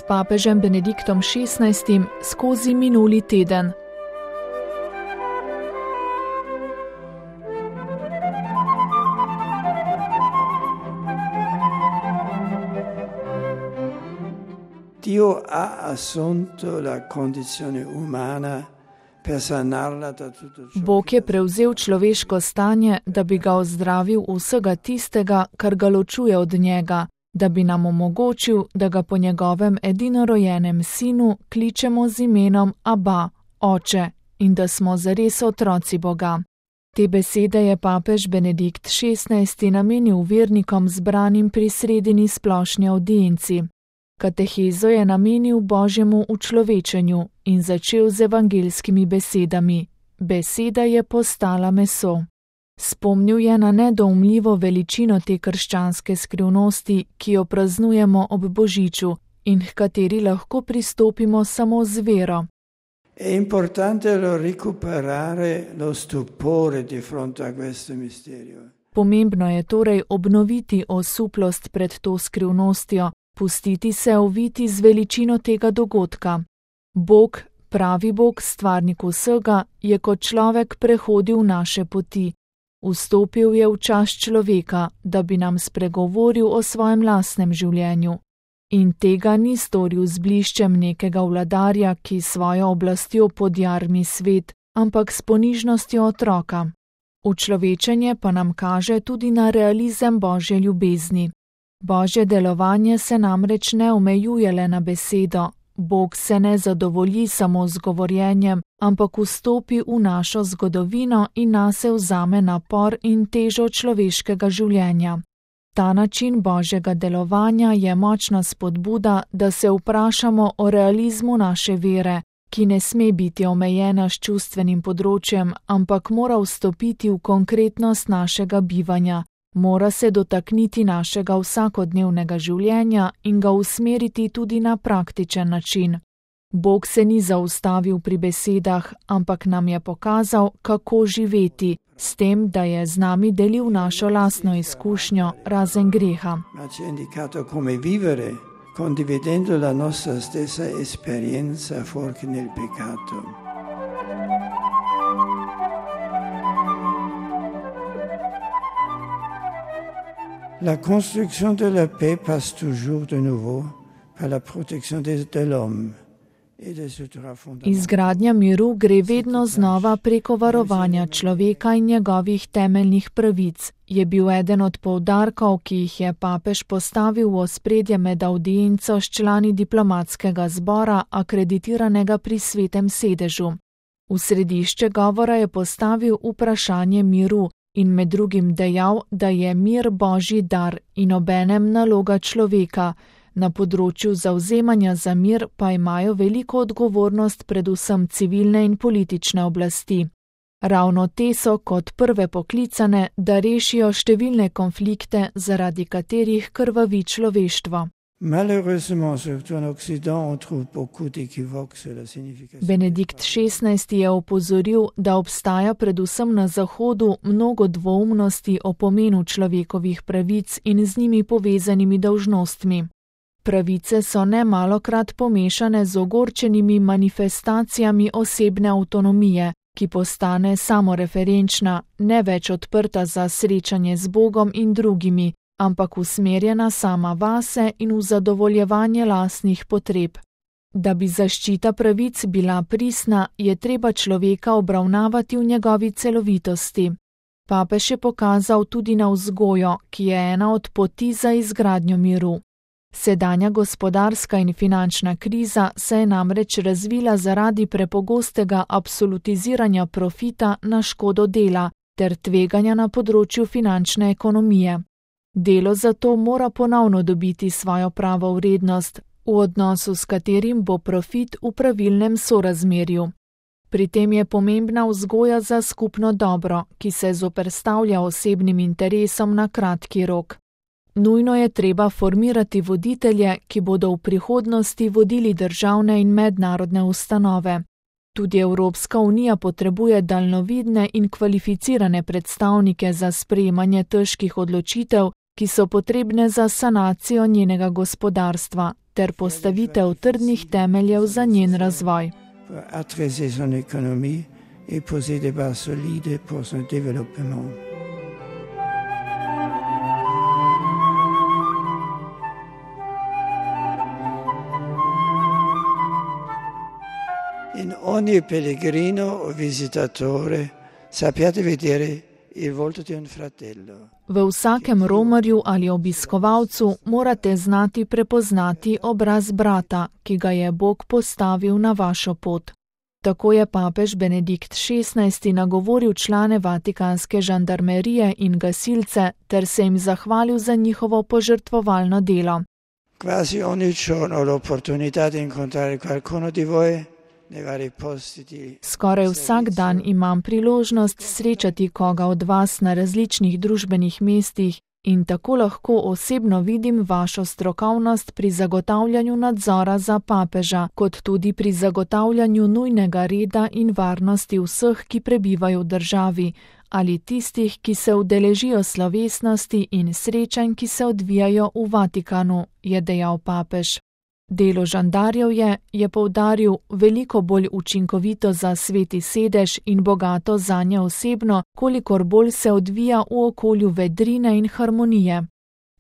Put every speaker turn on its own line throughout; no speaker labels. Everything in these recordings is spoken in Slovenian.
s papežem Benediktom XVI skozi minuli teden.
Dio ha assunto la condizione umana per sanarla da tutto ciò.
Bog je prevzel človeško stanje, da bi ga ozdravil vsega tistega, kar ga ločuje od njega, da bi nam omogočil, da ga po njegovem edinorojenem sinu kličemo z imenom Abba, Oče, in da smo zares otroci Boga. Te besede je papež Benedikt XVI namenil vernikom zbranim pri sredini splošni avdienci. Katehezo je namenil Božjemu učlovečenju in začel z evangeljskimi besedami. Beseda je postala meso. Spomnil je na nedoumljivo veličino te krščanske skrivnosti, ki jo praznujemo ob Božiču in h kateri lahko pristopimo samo z vero.
È importante recuperare lo stupore di fronte a questo misterio.
Pomembno je torej obnoviti osuplost pred to skrivnostjo, pustiti se oviti z veličino tega dogodka. Bog, pravi Bog, stvarnik vsega, je kot človek prehodil naše poti. Vstopil je v čas človeka, da bi nam spregovoril o svojem lastnem življenju. In tega ni storil z bliščem nekega vladarja, ki svojo oblastjo podjarmi svet, ampak s ponižnostjo otroka. Učlovečenje pa nam kaže tudi na realizem Božje ljubezni. Božje delovanje se namreč ne omejuje le na besedo. Bog se ne zadovolji samo z govorjenjem, ampak vstopi v našo zgodovino in nase vzame napor in težo človeškega življenja. Ta način Božjega delovanja je močna spodbuda, da se vprašamo o realizmu naše vere, ki ne sme biti omejena s čustvenim področjem, ampak mora vstopiti v konkretnost našega bivanja. Mora se dotakniti našega vsakodnevnega življenja in ga usmeriti tudi na praktičen način. Bog se ni zaustavil pri besedah, ampak nam je pokazal, kako živeti, s tem, da je z nami delil našo lastno izkušnjo, razen greha.
Ma ci ha indicato come vivere, condividendo la nostra stessa esperienza fuori nel peccato. La construction de la paix passe toujours de nouveau par la protection de l'homme.
Izgradnja miru gre vedno znova preko varovanja človeka in njegovih temeljnih pravic, je bil eden od poudarkov, ki jih je papež postavil v ospredje med avdienco s člani diplomatskega zbora, akreditiranega pri Svetem sedežu. V središče govora je postavil vprašanje miru in med drugim dejal, da je mir Božji dar in obenem naloga človeka. Na področju zavzemanja za mir pa imajo veliko odgovornost predvsem civilne in politične oblasti. Ravno te so kot prve poklicane, da rešijo številne konflikte, zaradi katerih krvavi človeštvo. Benedikt XVI je opozoril, da obstaja predvsem na Zahodu mnogo dvoumnosti o pomenu človekovih pravic in z njimi povezanimi dolžnostmi. Pravice so nemalokrat pomešane z ogorčenimi manifestacijami osebne avtonomije, ki postane samoreferenčna, ne več odprta za srečanje z Bogom in drugimi, ampak usmerjena sama vase in v zadovoljevanje lastnih potreb. Da bi zaščita pravic bila pristna, je treba človeka obravnavati v njegovi celovitosti. Papež je pokazal tudi na vzgojo, ki je ena od poti za izgradnjo miru. Sedanja gospodarska in finančna kriza se je namreč razvila zaradi prepogostega absolutiziranja profita na škodo dela ter tveganja na področju finančne ekonomije. Delo zato mora ponovno dobiti svojo pravo vrednost, v odnosu s katerim bo profit v pravilnem sorazmerju. Pri tem je pomembna vzgoja za skupno dobro, ki se zoperstavlja osebnim interesom na kratki rok. Nujno je treba formirati voditelje, ki bodo v prihodnosti vodili državne in mednarodne ustanove. Tudi Evropska unija potrebuje daljnovidne in kvalificirane predstavnike za sprejemanje težkih odločitev ki so potrebne za sanacijo njenega gospodarstva ter postavitev trdnih temeljev za njen razvoj.
In ogni pellegrino o visitatore sappiate vedere il volto di un fratello.
V vsakem romarju ali obiskovalcu morate znati prepoznati obraz brata, ki ga je Bog postavil na vašo pot. Tako je papež Benedikt XVI nagovoril člane vatikanske žandarmerije in gasilce ter se jim zahvalil za njihovo požrtvovalno delo.
Quasi ogni giorno ho l'opportunità di incontrare qualcuno di voi.
Skoraj vsak dan imam priložnost srečati koga od vas na različnih družbenih mestih in tako lahko osebno vidim vašo strokovnost pri zagotavljanju nadzora za papeža, kot tudi pri zagotavljanju nujnega reda in varnosti vseh, ki prebivajo v državi, ali tistih, ki se udeležijo slovesnosti in srečanj, ki se odvijajo v Vatikanu, je dejal papež. Delo žandarjev je poudaril, veliko bolj učinkovito za Sveti sedež in bogato zanje osebno, kolikor bolj se odvija v okolju vedrine in harmonije.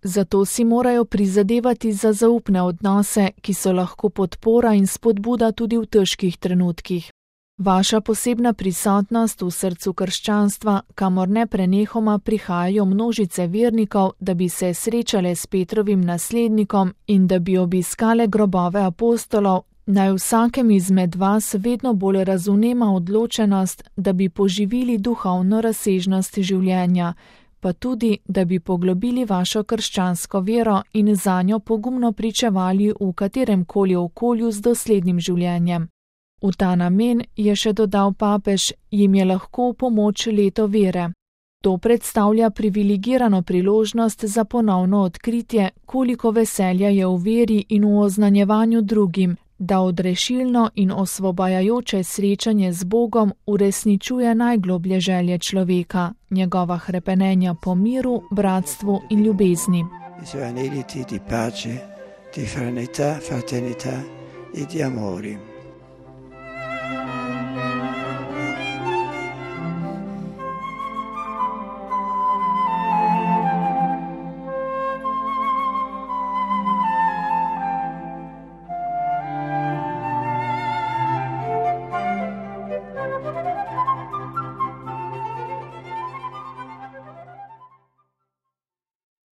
Zato si morajo prizadevati za zaupne odnose, ki so lahko podpora in spodbuda tudi v težkih trenutkih. Vaša posebna prisotnost v srcu krščanstva, kamor neprenehoma prihajajo množice vernikov, da bi se srečale s Petrovim naslednikom in da bi obiskale grobove apostolov, naj vsakem izmed vas vedno bolj razumema odločenost, da bi poživili duhovno razsežnost življenja, pa tudi, da bi poglobili vašo krščansko vero in zanjo pogumno pričevali v kateremkoli okolju z doslednim življenjem. V ta namen, je še dodal papež, jim je lahko v pomoč leto vere. To predstavlja privilegirano priložnost za ponovno odkritje, koliko veselja je v veri in v oznanjevanju drugim, da odrešilno in osvobajajoče srečanje z Bogom uresničuje najgloblje želje človeka, njegova hrepenenja po miru, bratstvu in ljubezni.
Di pace, di fraternità e di amore.